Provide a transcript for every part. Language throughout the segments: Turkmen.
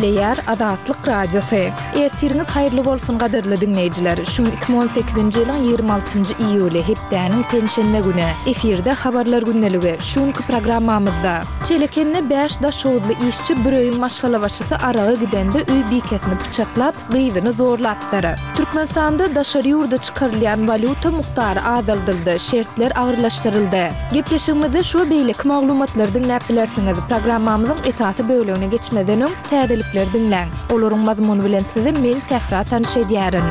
Gepleýär Azatlyk Radiosy. Ertiriňiz haýyrly bolsun gadyrly diňleýjiler. Şu gün 2018-nji ýylyň 26-njy iýuly, hepdäniň penşenbe güni. Efirde Habarlar gündeligi. Şu günki programmamyzda. Çelekende bäş daşhowuzly işçi bir öýüň maşgalabaşysy araga gidende öý bikesini pyçaklap, gyzyny zorlapdyr. Türkmenistanda daşary ýurda çykarylýan walýuta mukdary azaldyldy, şertler agyrlaşdyryldy. Gepleşigimizde şu we beýleki maglumatlary diňläp bilersiňiz. Programmamyzyň esasy bölegine geçmezden öň, täzelikleri diňläň. Olaryň mazmuny bilen sizi men Sähra tanyş edýärin.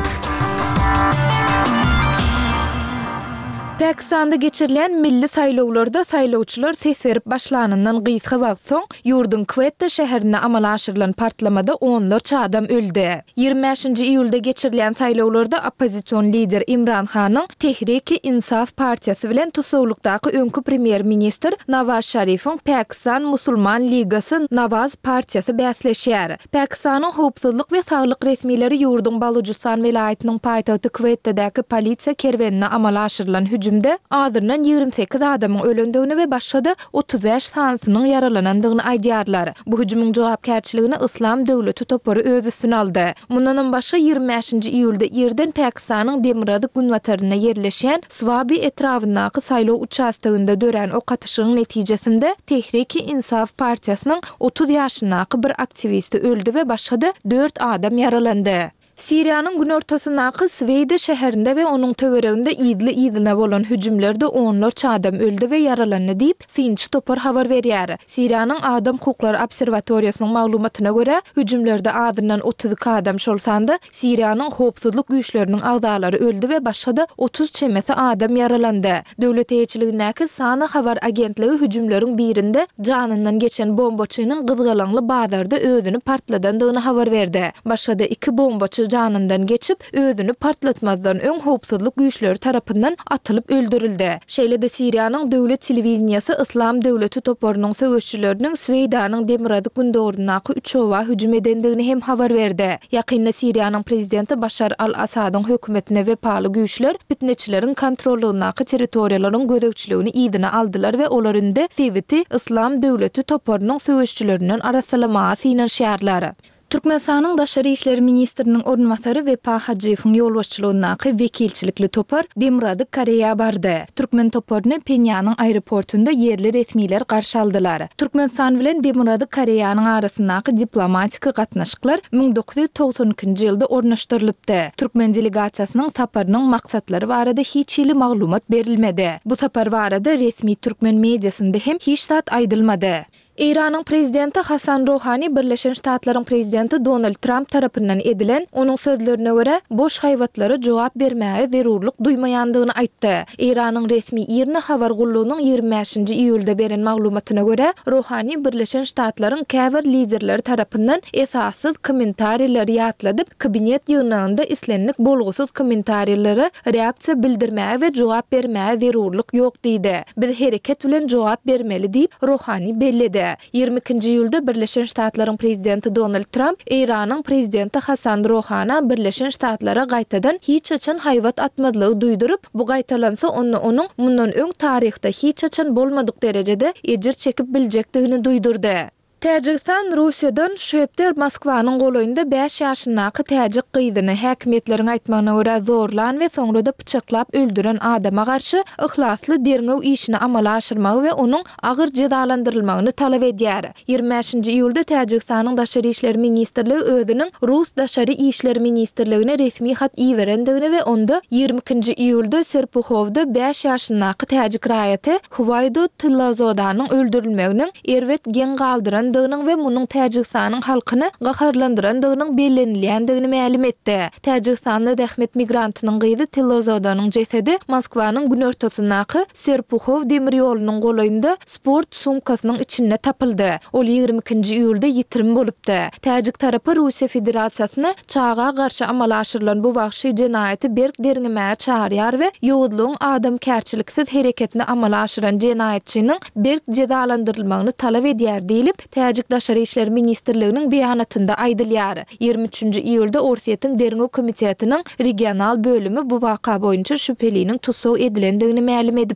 Pakistanda geçirilýän milli saýlawlarda saýlawçylar ses berip başlanyndan gysga wagt soň, Ýurduň Kwetta şäherinde amala aşyrylan partlamada onlarça adam öldi. 25-nji iýulda geçirilýän saýlawlarda oppozision lider Imran Hanyň Tehriki-Insaf partiýasy bilen tussaglykdaky öňki premýer-ministr Nawaz Şarifiň Pakistan Musulman Ligasy-Nawaz partiýasy bäsleşýär. Pakistanyň howpsuzlyk we saglyk resmileri ýurduň Balujystan welaýatynyň paýtagty Kwettadäki polisiýa kerwenine amala aşyrylan hüjümde azyndan 28 adamyň ölendigini we başga-da 35 sanysynyň ýaralanandygyny aýdýarlar. Bu hüjümiň jogapkärçiligini Yslam döwleti topary öz üstüne aldy. Mundanam başga, 25-nji iýulda irden Pakistanyň demirgazyk-günbatarynda ýerleşýän Swabi etrabyndaky saýlaw uçastogynda dörän ok atyşygyň netijesinde Tehriki-Insaf partiýasynyň 30 ýaşyndaky bir aktiwisti öldi we başga-da dört adam ýaralandy. Siriýanyň günortasyndaky Sweýda şäherinde we onuň töwereginde yzly-yzyna bolan hüjümlerde onlarça adam öldi we ýaralandy diýip, synçy topar habar berýär. Siriýanyň Adam hukuklary obserwatoriýasynyň maglumatyna görä, hüjümlerde azyndan 32 adam, şol sanda Siriýanyň howpsuzlyk güýçleriniň agzalary öldi we başga-da 30 çemesi adam ýaralandy. Döwlet eýeçiligindäki Sana habar agentligi hüjümleriň birinde janyndan geçen bombaçynyň gyzgalaňly bazarda özüni partladandygyny habar berdi. Başga-da iki bombaçy janyndan geçip, özüni partlatmazdan öň howpsuzlyk güýçleri tarapyndan atylyp öldürildi. Şeýle-de Siriýanyň döwlet telewideniýesi Yslam döwleti toparynyň söweşijileriniň Sweýdanyň demirgazyk-gündogaryndaky üç oba hüjüm edendigini hem habar berdi. Ýakynda Siriýanyň prezidenti Başar al-Assadyň hökümetine wepaly güýçler pitneçileriň kontrollygyndaky territoriýalaryň gözegçiligini yzyna aldylar we olar indi sebiti Yslam döwleti toparynyň söweşijilerinden arassalamaga synanyşýarlar. Türkmenistanyň Daşary işler ministriniň orunbasary Wepa Hajyýewiň ýolbaşçylygyndaky wekilçilikli topar Demirgazyk Koreýa bardy. Türkmen toparyny Phenýanyň aeroportunda ýerli resmiler garşy aldylar. Türkmenistan bilen Demirgazyk Koreýanyň arasyndaky diplomatiki gatnaşyklar 1992-nji ýylda ornaşdyrylypdy. Türkmen delegasiýasynyň saparynyň maksatlary barada hiç hili maglumat berilmedi. Bu sapar barada resmi türkmen mediasynda hem hiç zat aýdylmady. Eýranyň prezidenti Hasan Rohani Birleşen Ştatlaryň prezidenti Donald Tramp tarapyndan edilen, onuň sözlerine görä, boş haýbatlara jogap bermäge zerurlyk duýmaýandygyny aýtdy. Eýranyň resmi IRNA habar gullugynyň 25-nji iýulda beren maglumatyna görä, Rohani Birleşen Ştatlaryň käbir liderleri tarapyndan esassyz kommentarileri ýatladyp, kabinet ýygnagynda islendik bolgusyz kommentariýlere reaksiýa bildirmäge we jogap bermäge zerurlyk ýok diýdi. Biz hereket bilen jogap bermeli diýip, Rohani belledi. 22-nji iýulda Birleşen Ştatlaryň prezidenti Donald Tramp Eýranyň prezidenti Hasan Rohana Birleşen Ştatlara gaýtadan hiç haçan haýbat atmazlygy duýduryp, bu gaýtalansa onda onuň mundan öň taryhda hiç haçan bolmadyk derejede ejir çekip biljekdigini duýdurdy. Täjigistan Russiýadan şu hepde Moskwanyň golaýynda bäş ýaşyndaky täjik gyzyny, häkimiýetleriň aýtmagyna görä, zorlan we soňra-da pyçaklap öldüren adama garşy yhlasly derňew işini amala aşyrmagy we onuň agyr jezalandyrylmagyny talap edýär. 25-nji iýulda Täjigistanyň Daşary işler ministrligi özüniň Rus Daşary işler ministrligine resmi hat iberendigini we onda 22-nji iýulda Serpuhowda bäş ýaşyndaky täjik raýaty Huwaýdo Tillazodanyň öldürilmeginiň erbet geň galdyrandygynyň we munuň Täjigistanyň halkyny gaharlandyrandygynyň bellenilýändigini mälim etdi. Täjigistanda zähmet migrantynyň gyzy Tillozodanyň jesedi Moskwanyň günortasyndaky Serpuhow demir ýolunyň golaýynda sport sumkasynyň içinde tapyldy. Ol 22-nji iýulda ýitirim bolupdy. Täjik tarapy Russiýa Federasiýasyny çaga garşy amala aşyrylan bu wagşy jenaýaty berk derňemäge çagyrýar we ýowuzlygyň adamkärçiliksiz hereketini amala aşyran jenaýatçynyň berk jezalandyrylmagyny talap edýär diýlip, Täjik Daşary işler ministrliginiň beýanatynda aýdylýar. 23-nji iýulda Orsýetiň Derňew komitetiniň regional bölümi bu waka boýunça şübheliniň tussag edilendigini mälim edipdi.